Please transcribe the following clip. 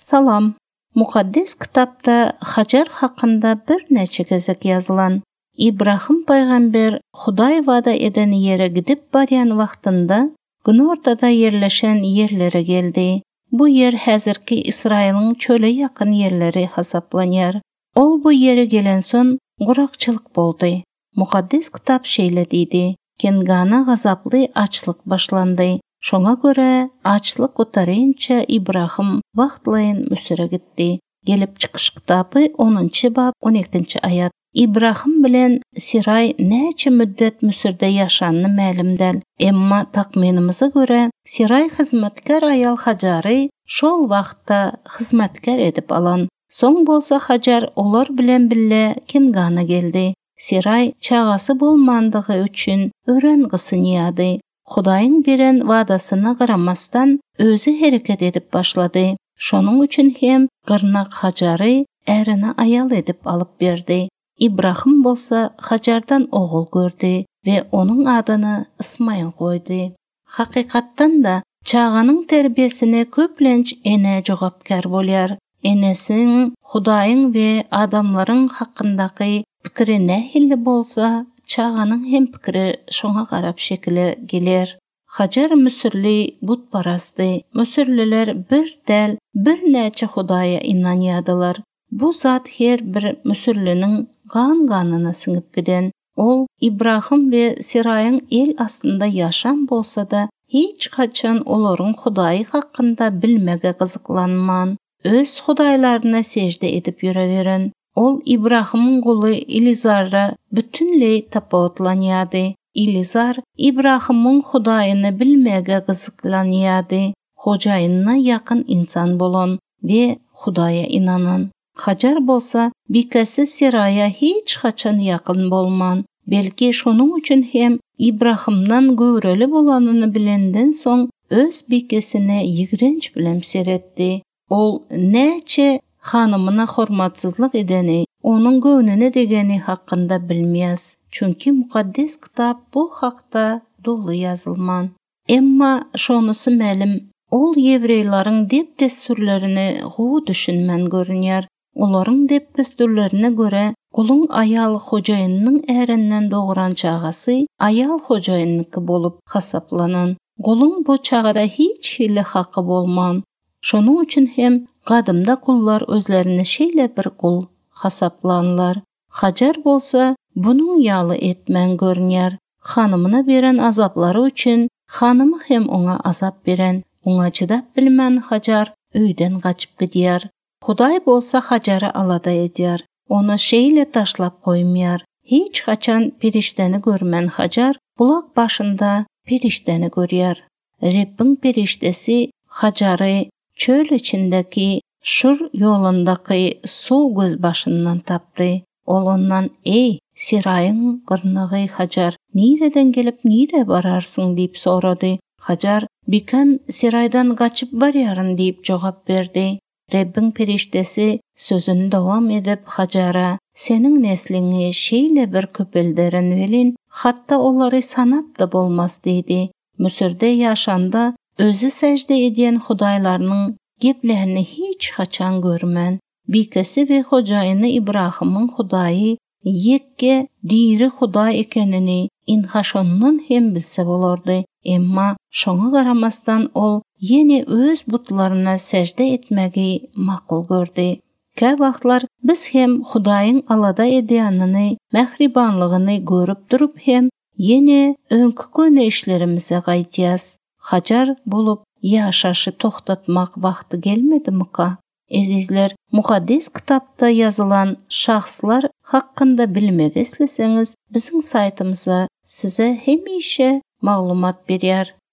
Salam! Mukaddes Kitapda Hajar hakynda birnäçe gezek ýazylan. Ibrahym pygamber Hudaý wada eden ýere gidip barýan wagtynda, günortada ýerleşen ýerlere geldi. Bu ýer häzirki Ysraýylyň çöle ýakyn ýerleri hasaplanýar. Ol bu ýere gelensoň, gurakçylyk boldy. Mukaddes Kitap şeýle diýdi, Kengana gazaply açlyk başlandy. Şoňa görä, açlyk gutarynça Ibrahym wagtlaýyn Müsüre gitdi. Gelip çykyş kitaby, onunjy bap, on ikinji aýat. Ibrahym bilen Seraý näçe müddet Müsürde ýaşanyny mälim däl. Emma takmynymyza görä, Seraý hyzmatkär aýal Hajary şol wagtda hyzmatkär edip alan. Soň bolsa Hajar olar bilen bile Kengana geldi. Seraý çagasy bolmandygy üçin örän gysynýardy. Hudaýyň beren wadasyna garamasdan, özi hereket edip başlady. Şonuň üçin hem gyrnak Hajary ärine aýal edip alyp berdi. Ibrahym bolsa Hajardan ogul gördi we onuň adyny Ysmaýyl goýdy. Hakykatdan-da, çaganyň terbiýesine köplenç ene jogapkär bolýar. Enesiniň Hudaýyň we adamlaryň hakyndaky pikiri nähili bolsa, çaganyň hem pikiri şoňa garap şekile geler. Hajar müsürli butparazdy. Müsürliler bir däl, birnäçe hudaýa ynanýardylar. Bu zat her bir müsürliniň gan-ganyna siňip giden. Ol Ibrahym we Seraýyň el astynda ýaşan bolsa-da, hiç haçan olaryň Hudaýy hakynda bilmege gyzyklanman, öz hudaýlaryna sežde edip ýöreweren. Ol Ibrahymyň guly Ilizarra bütinleý tapawutlanýardy. Ilizar Ibrahymyň Hudaýyny bilmäge gyzyklanýardy, hojaýynyna ýakyn ynsan bolan we Hudaýa ynanan. Hajar bolsa bikesi Seraýa hiç haçan ýakyn bolman, belki şonuň üçin hem Ybrahymdan göwreli bolanyny bilenden soň öz bikesine ýigrenç bilen seretdi. Ol näçe hanymyna hormatsyzlyk edeni, onuň göwnüne degeni hakynda bilmeýäs, çünki Mukaddes Kitap bu hakda doly ýazylman. Emma şonusy mälim, ol ýewreýleriň dep-dessurlaryny gowy düşünmän görünýär. Olaryň dep-dessurlaryna görä, guluň aýal hojaýynynyň ärinden dogran çagasy aýal hojaýynyňky bolup hasaplanan. Guluň bu çagada hiç hili haky bolman. Şonuň üçin hem gadymda gullar özlerini şeýle bir gul hasaplanlar. Hajar bolsa bunuň ýaly etmän görünýär. Hanymyna beren azaplary üçin hanymy hem oňa azap beren. Muňa çydap bilmän Hajar öýden gaçyp gidýär. Hudaý bolsa Hajary alada edýär. Ony şeýle taşlap goýmaýar. Hiç haçan perişdäni görmän Hajar bulak başynda perişdäni görýär. Rebbiň perişdesi Hajary çöl içindäki Şur ýolundaky suw gözbaşyndan tapdy. Ol ondan, Eý, Seraýyň gyrnagy Hajar, nireden gelip, nirä bararsyň? diýip sorady. Hajar, Bikäm Seraýdan gaçyp barýaryn diýip jogap berdi. Rebbiň perişdesi sözüni dowam edip, Hajara, Seniň nesliňi şeýle bir köpelderin welin, hatda olary sanap-da bolmaz diýdi. Müsürde ýaşanda özi sežde edýän hudaýlarynyň geplänini hiç haçan görmän. Bikesi we hojaýyny Ybrahymyň Hudaýy ýeke diri Hudaý ekenini ynha şondan hem bilse bolardy. Emma şoňa garamazdan ol ýene öz butlaryna sežde etmegi makul gördi. Käwagtlar biz hem Hudaýyň alada edýänini, mähribanlygyny görüp durup hem Ýene öňki köne işlerimize gaýdýas. Hajar bolup ýaşaşy togtatmak wagty gelmedimika? Ezizler, Mukaddes Kitapda ýazylan şahslar hakynda bilmek isleseňiz biziň saýtymyza size hemişe maglumat berýär.